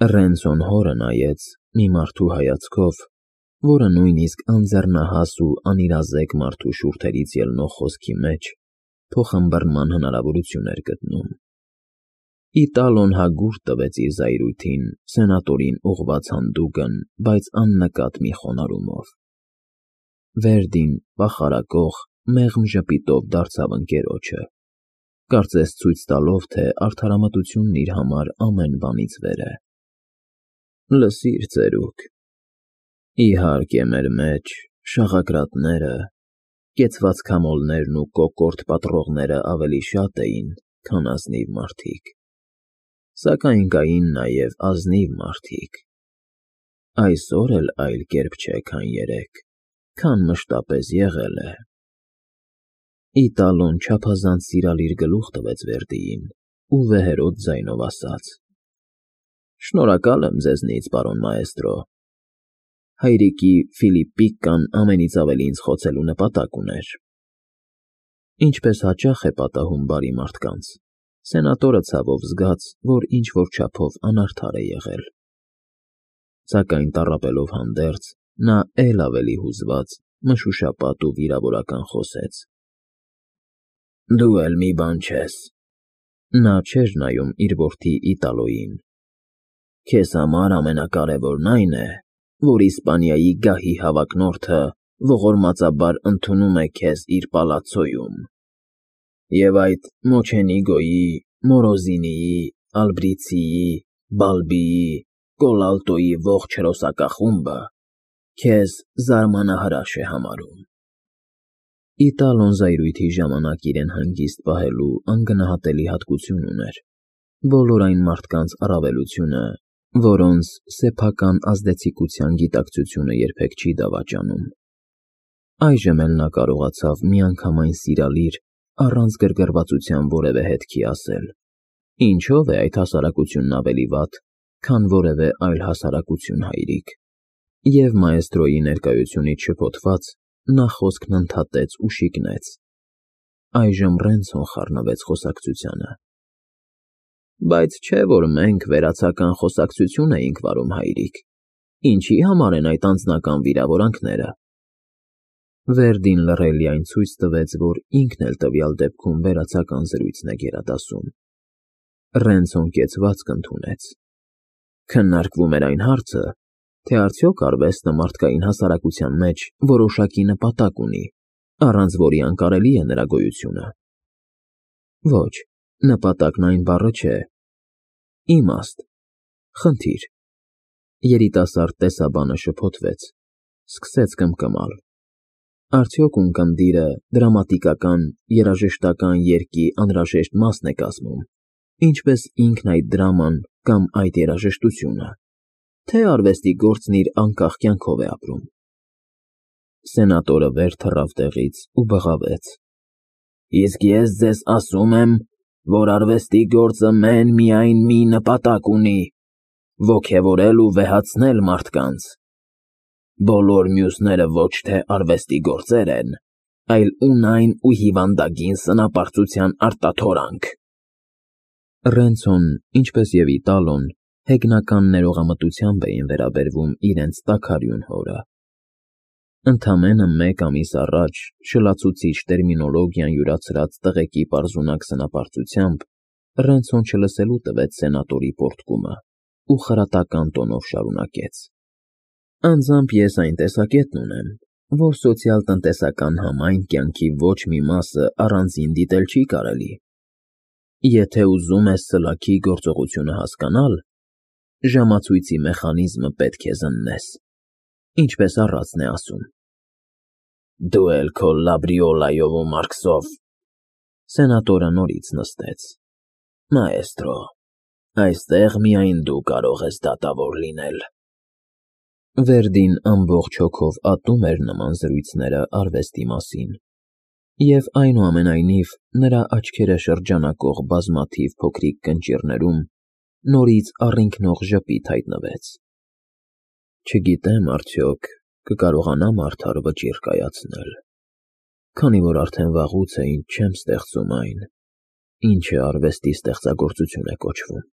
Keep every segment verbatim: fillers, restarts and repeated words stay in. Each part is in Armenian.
Ռենցոն հորը նայեց մի մարդու հայացքով, որը նույնիսկ անձեռնահաս ու անիրազեկ մարդու շուրթերից ելնող խոսքի մեջ փոխըմբռնման հնարավորություն էր գտնում։ Իտալոն հագուրդ տվեց իր զայրույթին սենատորին ուղղված հանդուգն, բայց աննկատ մի խոնարհումով։ Վերդին պախարակող, մեղմ ժպիտով դարձավ ընկերոջը, կարծես ցույց տալով, թե արդարամտությունն իր համար ամեն բանից վեր է։ Լսիր, ծերուկ, իհարկե մեր մեջ շաղակրատները, կեցված քամոլներն ու կոկորդ պատռողները ավելի շատ էին, քան ազնիվ մարդիկ, սակայն կային նաև ազնիվ մարդիկ։ Այսօր էլ այլ կերպ չէ, քան երեկ, քան մշտապես եղել է։ Իտալոն չափազանց սիրալիր գլուխ տվեց Վերդիին ու վեհերոտ ձայնով ասաց. Շնորհակալ եմ ձեզնից, պարոն մայեստրո։ Հայրիկի Ֆիլիպպիկան ամենից ավելի ինձ խոցելու նպատակ ուներ։ Ինչպես հաճախ է պատահում բարի մարդկանց, սենատորը ցավով զգաց, որ ինչ-որ չափով անարդար է եղել։ Սակայն տառապելով հանդերձ, նա էլ ավելի հուզված, մշուշապատ ու վիրավորական խոսեց. Դու էլ մի բան չես։ Նա չէր նայում իր որդի Իտալոյին։ Քեզ համար ամենակարևորն այն է, որ Իսպանիայի գահի հավակնորդը ողորմածաբար ընդունում է քեզ իր պալացոյում, և այդ Մոչենիգոյի, Մորոզինիի, Ալբրիցիի, Բալբիի, Կոլալտոյի ողջ հրոսակախումբը քեզ զարմանահրաշ է համարում։ Իտալոն զայրույթի ժամանակ իրեն հանգիստ պահելու անգնահատելի հատկություն ուներ, բոլոր այն մարդկանց առավելությունը, որոնց սեփական ազդեցիկության գիտակցությունը երբեք չի դավաճանում։ Այժմ էլ նա կարողացավ միանգամայն սիրալիր, առանց գրգռվածության որևէ հետքի ասել. Ինչո՞վ է այդ հասարակությունն ավելի վատ, քան որևէ այլ հասարակություն, հայրիկ։ Եվ մայեստրոյի ներկայությունից շփոթված, նա խոսքն ընդհատեց ու շիկնեց։ Այժմ Ռենցոն խառնվեց խոսակցությանը։ Բայց չէ՞ որ մենք վերացական խոսակցություն էինք վարում, հայրիկ, ինչի՞ համար են այդ անձնական վիրավորանքները։ Վերդին լռելիայն ցույց տվեց, որ ինքն էլ տվյալ դեպքում վերացական զրույցն է գերադասում։ Ռենցոն կեցվածք ընդունեց։ Քննարկվում էր այն հարցը, թե արդյոք արվեստը մարդկային հասարակության մեջ որոշակի նպատակ ունի, առանց որի անկարելի է նրա գոյությունը։ Ոչ, նպատակն այն բառը չէ։ Իմաստ, խնդիր։ Երիտասարդ տեսաբանը շփոթվեց, սկսեց կմկմալ։ Արդյոք ունկնդիրը դրամատիկական, երաժշտական երգի անհրաժեշտ մասն է կազմում, ինչպես ինքն այդ դրաման կամ այդ երաժշտությունը, թե արվեստի գործն իր անկախ կյանքով է ապրում։ Սենատորը վեր թռավ տեղից ու բղավեց. Իսկ ես ձեզ ասում եմ, որ արվեստի գործը մեն֊միայն մի նպատակ ունի՝ ոգևորել ու վեհացնել մարդկանց։ Բոլոր մյուսները ոչ թե արվեստի գործեր են, այլ ունայն ու հիվանդագին սնապարծության արտաթորանք։ Ռենցոն, ինչպես և Իտալոն, հեգնական ներողամտությամբ էին վերաբերվում իրենց տաքարյուն հորը։ Ընդամենը մեկ ամիս առաջ շլացուցիչ տերմինոլոգիան յուրացրած տղեկի պարզունակ սնապարծությամբ Ռենցոն չլսելու տվեց սենատորի պոռթկումը ու խրատական տոնով շարունակեց. Անձամբ ես այն տեսակետն ունեմ, որ սոցիալ֊տնտեսական համայն կյանքի ոչ մի մասը առանձին դիտել չի կարելի։ Եթե ուզում ես սլաքի գործողությունը հասկանալ, ժամացույցի մեխանիզմը պետք է զննես, ինչպես առածն է ասում։ Դու էլ քո Լաբրիոլայով ու Մարքսով։ Սենատորը նորից նստեց։ Մայեստրո, այստեղ միայն դու կարող ես դատավոր լինել։ Վերդին ամբողջ հոգով ատում էր նման զրույցները արվեստի մասին, և այնուամենայնիվ նրա աչքերը շրջանակող բազմաթիվ փոքրիկ կնճիռներում նորից առինքնող ժպիտ հայտնվեց։ Չգիտեմ արդյոք կկարողանամ արդար վճիռ կայացնել, քանի որ արդեն վաղուց է ինչ չեմ ստեղծում այն, ինչը արվեստի ստեղծագործություն է կոչվում։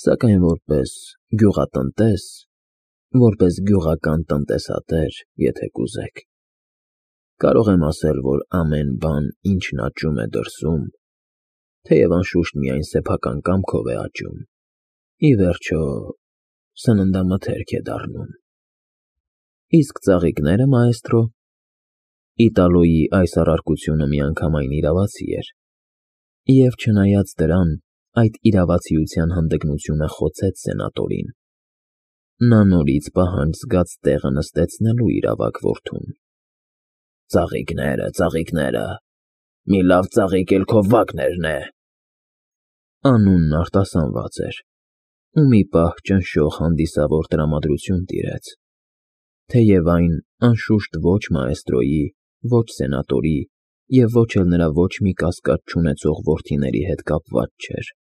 Սակայն որպես գյուղատնտես, որպես գյուղական տնտեսատեր, եթե կուզեք, կարող եմ ասել, որ ամեն բան, ինչն աճում է դրսում, թեև անշուշտ միայն սեփական կամքով է աճում, ի վերջո սննդամթերք է դառնում։ Իսկ ծաղիկները, մաեստրո։ Իտալոյի այս առարկությունը միանգամայն իրավացի էր, և չնայած դրան, այդ իրավացիության հանդգնությունը խոցեց սենատորին։ Նա նորից պահանջ զգաց տեղը նստեցնելու իր ավագ որդուն։ Ծաղիկները, ծաղիկները, մի լավ ծաղիկ էլ քո Վագներն է։ Անունն արտասանված էր, ու մի պահ ճնշող հանդիսավոր տրամադրություն տիրեց, թեև այն, անշուշտ, ոչ մաեստրոյի, ոչ սենատորի և ոչ էլ նրա ոչ մի կասկած չունեցող որդիների հետ կապված չէր։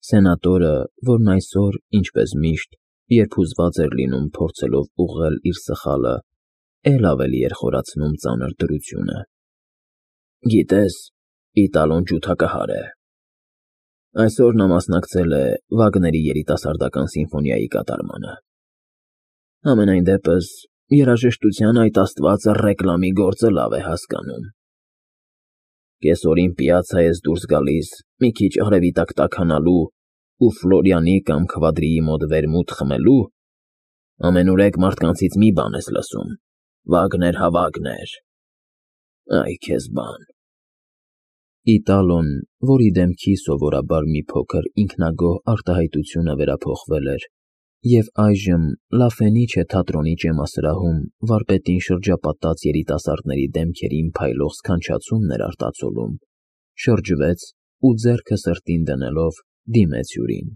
Սենատորը, որն այսօր, ինչպես միշտ, երբ հուզված էր լինում փորձելով ուղղել իր սխալը, էլ ավելի էր խորացնում ծանր դրությունը։ Գիտես, Իտալոն ջութակահար է։ Այսօր նա մասնակցել է Վագների երիտասարդական սիմֆոնիայի կատարմանը։ Համենայն դեպս, երաժշտության այդ աստվածը ռեկլամի գործը լավ է հասկանում։ Կեսօրին պիացա ես դուրս գալիս մի քիչ արևի տակ տաքանալու ու Ֆլորիանի կամ Քվադրիի մոտ վերմուտ խմելու, ամենուրեք մարդկանցից մի բան ես լսում. Վագներ հա Վագներ։ Այ քեզ բան։ Իտալոն, որի դեմքի սովորաբար մի փոքր ինքնագոհ արտահայտությունը վերափոխվել էր, և այժմ Լա Ֆենիչե թատրոնի ճեմասրահում վարպետին շրջապատած երիտասարդների դեմքերին փայլող սքանչացումն էր արտացոլում, շրջվեց ու ձեռքը սրտին դնելով դիմեց հյուրին։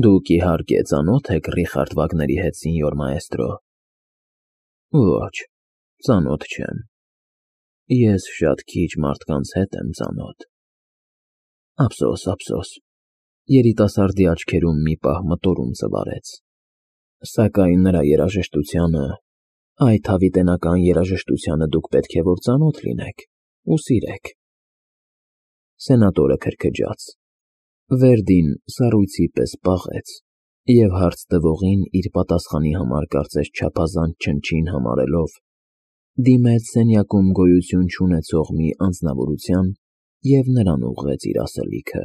Դուք, իհարկե, ծանո՞թ եք Ռիխարդ Վագների հետ, սենյոր մաեստրո։ Ոչ, ծանոթ չեմ։ Ես շատ քիչ մարդկանց հետ եմ ծանոթ։ Ափսոս, ափսոս։ Երիտասարդի աչքերում մի պահ մտորում ծվարեց։ Սակայն նրա երաժշտությանը, այդ հավիտենական երաժշտությանը դուք պետք է որ ծանոթ լինեք ու սիրեք։ Սենատորը քրքջաց։ Վերդին սառույցի պես պաղեց և հարց տվողին իր պատասխանի համար կարծես չափազանց չնչին համարելով, դիմեց սենյակում գոյություն չունեցող մի անձնավորության և նրան ուղղեց իր ասելիքը։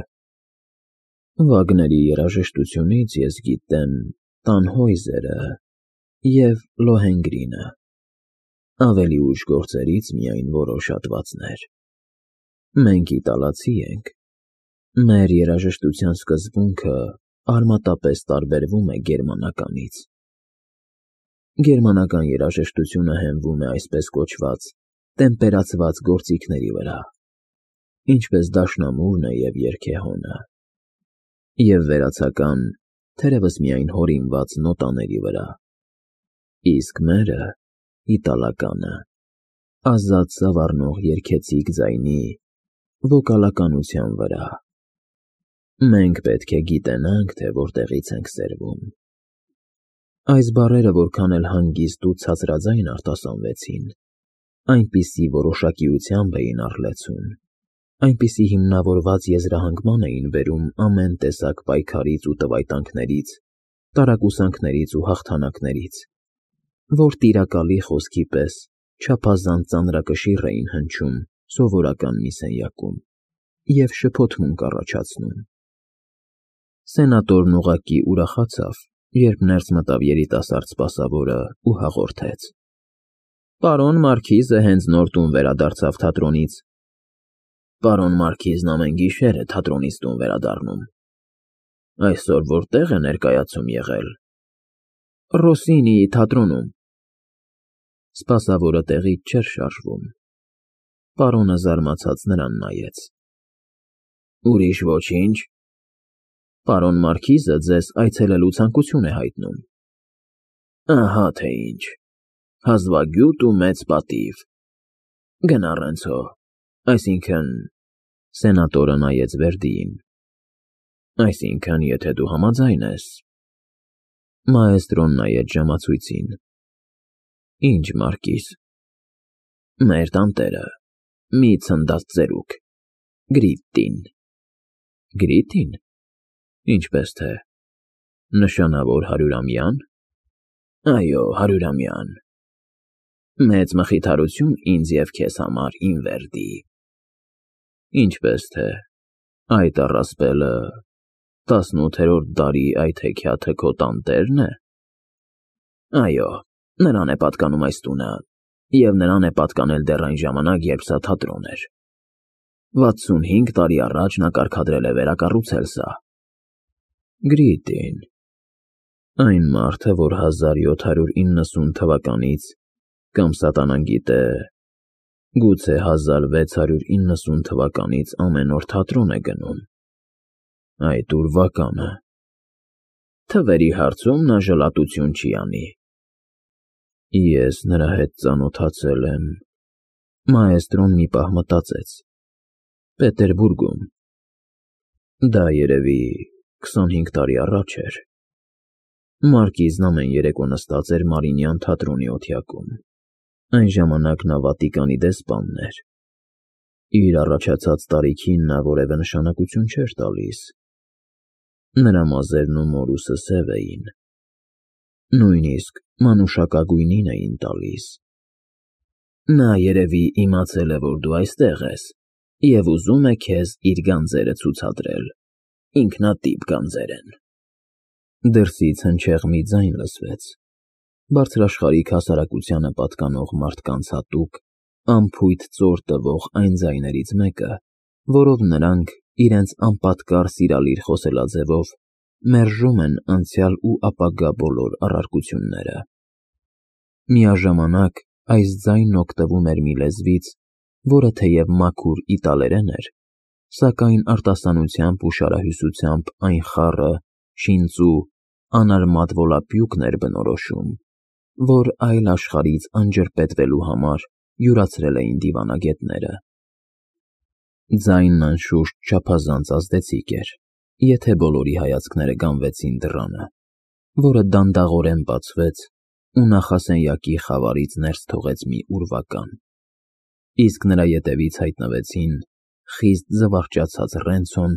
Վագների երաժշտությունից ես գիտեմ Տանհոյզերը և Լոհենգրինը, ավելի ուշ գործերից միայն որոշ հատվածներ։ Մենք իտալացի ենք։ Մեր երաժշտության սկզբունքը արմատապես տարբերվում է գերմանականից։ Գերմանական երաժշտությունը հենվում է այսպես կոչված տեմպերացված գործիքների վրա, ինչպես դաշնամուրն է և երգեհոնը, և վերացական, թերևս միայն հորինված նոտաների վրա, իսկ մերը, իտալականը, ազատ սավառնող երգեցիկ ձայնի, վոկալականության վրա։ Մենք պետք է գիտենանք, թե որտեղից ենք սերվում։ Այս բառերը որքան էլ հանգիստ ու ցածրաձայն արտասանվեցին, այնպիսի որոշակիությամբ էին առլեցուն, այնպիսի հիմնավորված եզրահանգման էին բերում ամեն տեսակ պայքարից ու տվայտանքներից, տարակուսանքներից ու հաղթանակներից, որ տիրակալի խոսքի պես չափազանց ծանրակշիռ էին հնչում սովորական մի սենյակում և շփոթմունք առաջացնում։ Սենատորն ուղղակի ուրախացավ, երբ ներս մտավ երիտասարդ սպասավորը ու հաղորդեց. Պարոն Մարքիզը հենց նոր տուն վերադարձավ թատրոնից։ Պարոն Մարքիզն ամեն գիշեր է թատրոնից տուն վերադառնում։ Այսօր որտեղ է ներկայացում եղել։ Ռոսինիի թատրոնում։ Սպասավորը տեղից չէր շարժվում։ Պարոնը զարմացած նրան նայեց։ Ուրիշ ոչինչ։ Պարոն Մարքիզը ձեզ այցելելու ցանկություն է հայտնում։ Ահա թե ինչ։ Հազվագյուտ ու մեծ պատիվ։ Գնա Ռենցո, այսինքն… Սենատորը նայեց Վերդիին։ Այսինքն, եթե դու համաձայն ես… Մաեստրոն նայեց ժամացույցին։ Ինչ, Մարկիզ։ Մեր տանտերը, մի ցնդած ծերուկ, Գրիտտին։ Գրիտի՞ն։ Ինչպես թե, նշանավոր հարյուրամյա՞ն։ Այո, հարյուրամյան։ Մեծ մխիթարություն ինձ և քեզ համար, Ինվերդի։ Ինչպես թե, այդ առասպելը տասնութերորդ դարի այդ հեքիաթը քո տանտե՞րն է։ Այո, նրան է պատկանում այս տունը, և նրան է պատկանել դեռ այն ժամանակ, երբ սա թատրոն էր։ վաթսունհինգ տարի առաջ նա կարգադրել է վերակառուցել սա։ Գրիտին, այն մարդը, որ հազար յոթ հարյուր իննսուն թվականից, կամ սատանան գիտե, գուցե հազար վեց հարյուր իննսուն թվականից ամեն օր թատրոն է գնում։ Այդ ուրվականը։ Թվերի հարցում նա ժլատություն չի անի։ Ես նրա հետ ծանոթացել եմ։ Մաեստրոն մի պահ մտածեց։ Պետերբուրգում։ Դա երևի քսանհինգ տարի առաջ էր։ Մարկիզն ամեն երեկո նստած էր Մարինյան թատրոնի օթյակում։ Այն ժամանակ նա Վատիկանի դեսպանն էր։ Իր առաջացած տարիքին նա որևէ նշանակություն չէր տալիս։ Նրա մազերն ու մորուսը սև էին։ Նույնիսկ մանուշակագույնին էին տալիս։ Նա երևի իմացել է, որ դու այստեղ ես, և ուզում է քեզ իր գանձերը ցուցադրել։ Ինքնատիպ գանձեր են։ Դրսից հնչեղ մի ձայն լսվեց։ Բարձրաշխարհիկ հասարակությանը պատկանող մարդկանց հատուկ, անփույթ ծոր տվող այն ձայներից մեկը, որով նրանք իրենց անպատկառ սիրալիր խոսելաձևով մերժում են անցյալ ու ապագա բոլոր առարկությունները։ Միաժամանակ այս ձայնն օգտվում էր մի լեզվից, որը թեև մաքուր իտալերեն էր, սակայն արտասանությամբ ու շարահյուսությամբ այն խառը, շինծու, անարմատ վոլապյուկն էր բնորոշում, որ այլ աշխարհից անջրպետվելու համար յուրացրել էին դիվանագետները։ Ձայնն անշուշտ չափազանց ազդեցիկ էր, եթե բոլորի հայացքները գանվեցին դռանը, որը դանդաղորեն բացվեց ու նախասենյակի խավարից ներս թողեց մի ուրվական, իսկ նրա ետևից հայտնվեցին խիստ զվարճացած Ռենցոն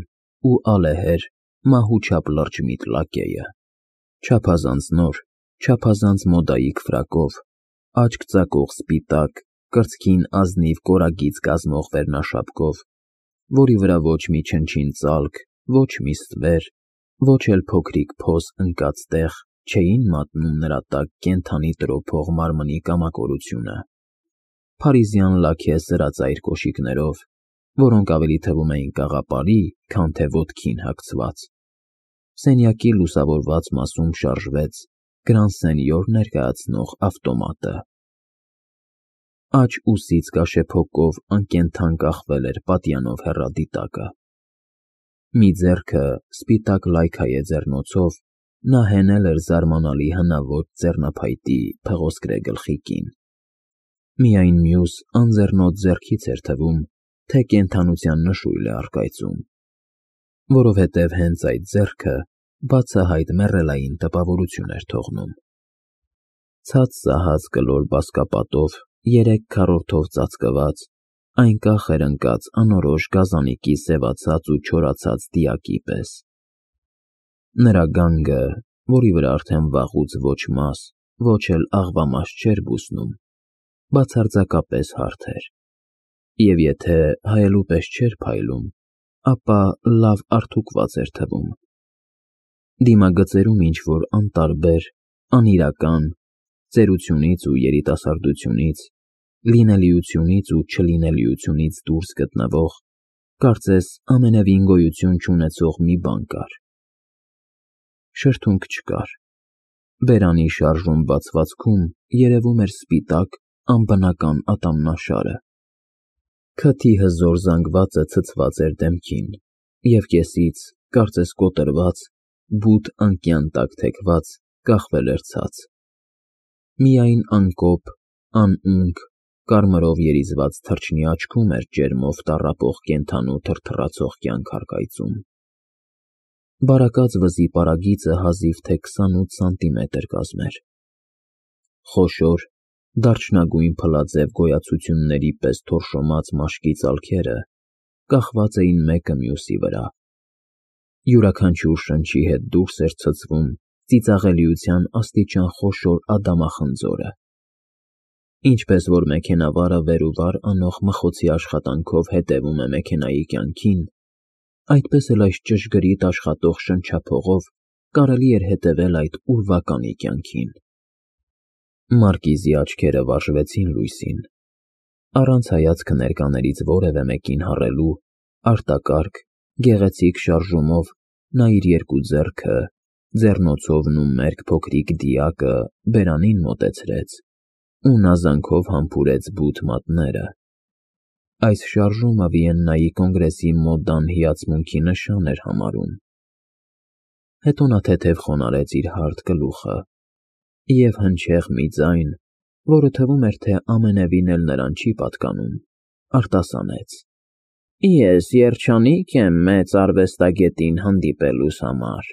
ու ալեհեր մահու չափ լրջմիտ լակեյը, չափազանց նոր, չափազանց մոդայիկ ֆրակով, աչք ծակող սպիտակ, կրծքին ազնիվ կորագիծ կազմող վերնաշապկով, որի վրա ոչ մի չնչին ծալք, ոչ մի ստվեր, ոչ էլ փոքրիկ փոս ընկած տեղ չէին մատնում նրա տակ կենդանի տրոփող մարմնի կամակորությունը։ Փարիզյան լաքե սրածայր կոշիկներով, որոնք ավելի թվում էին կաղապարի, քան թե ոտքին հագցված։ Սենյակի լուսավորված մասում շարժվեց Գրանսենյոր ներկայացնող ավտոմատը։ Աջ ուսից կաշեփոկով անկենդան կախվել էր պատյանով հեռադիտակը։ Մի ձեռքը սպիտակ լայքայե ձեռնոցով նա հենել էր զարմանալի հնաոճ ձեռնափայտի փղոսկրե գլխիկին։ Միայն մյուս անձեռնոտ ձեռքից էր թվում, թե կենդանության նշույլ է առկայծում, որովհետև հենց այդ ձեռքը բացահայտ մեռելային տպավորություն էր թողնում։ Ցած սահած կլոր բազկապատով երեք քառորդով ծածկված, այնկախ էր ընկած անորոշ գազանիկի սևացած ու չորացած դիակի պես։ Նրա գանգը, որի վրա արդեն վաղուց ոչ մաս, ոչ էլ աղվամաս չէր բուսնում, բացարձակապես հարթ էր, և եթե հայելու պես չէր փայլում, ապա լավ արթուկված էր թվում։ Դիմագծերում ինչ-որ անտարբեր, անիրական, ծերությունից ու երիտասարդությունից, լինելիությունից ու չլինելիությունից դուրս գտնվող, կարծես ամենևին գոյություն չունեցող մի բան կար։ Շրթունք չկար։ Բերանի շարժուն բացվածքում երևում էր սպիտակ, անբնական ատամնաշարը։ Քթի հզոր զանգվածը ցցված էր դեմքին, և կեսից, կարծես կոտրված, բութ անկյան տակ թեքված, կախվել էր ցած։ Միայն անկոպ, անունք, կարմրով երիզված թռչնի աչքում էր ջերմով տառապող կենդանու թրթռացող կյանք առկայծում։ Բարակած վզի պարագիծը հազիվ թե քսանութ սանտիմետր կազմեր։ Խոշոր, դարչնագույն փլաձև գոյացությունների պես թորշոմած մաշկի ծալքերը կախված էին մեկը մյուսի վրա, Յուրաքանչյուր շնչի հետ դուրս էր ցցվում ծիծաղելիության աստիճան խոշոր ադամախնձորը։ Ինչպես որ մեքենավարը վեր ու վար անող մխոցի աշխատանքով հետևում է մեքենայի կյանքին, այդպես էլ այս ճշգրիտ աշխատող շնչափողով կարելի էր հետևել այդ ուրվականի կյանքին։ Մարկիզի աչքերը վարժվեցին լույսին, առանց հայացքը ներկաներից որևէ մեկին հառելու, արտակարգ, գեղեցիկ շարժումով նա իր երկու ձեռքը, ձեռնոցովն ու մերկ փոքրիկ դիակը բերանին մոտեցրեց ու նազանքով համբուրեց բութ մատները։ Այս շարժումը Վիեննայի կոնգրեսի մոդան հիացմունքի նշան էր համարում։ Հետո նա թեթև խոնարհեց իր հարթ գլուխը և հնչեղ մի ձայն, որը թվում էր, թե ամենևին էլ նրան չի պատկանում, արտասանեց. «Ես երջանիկ եմ մեծ արվեստագետին հանդիպելուս համար»։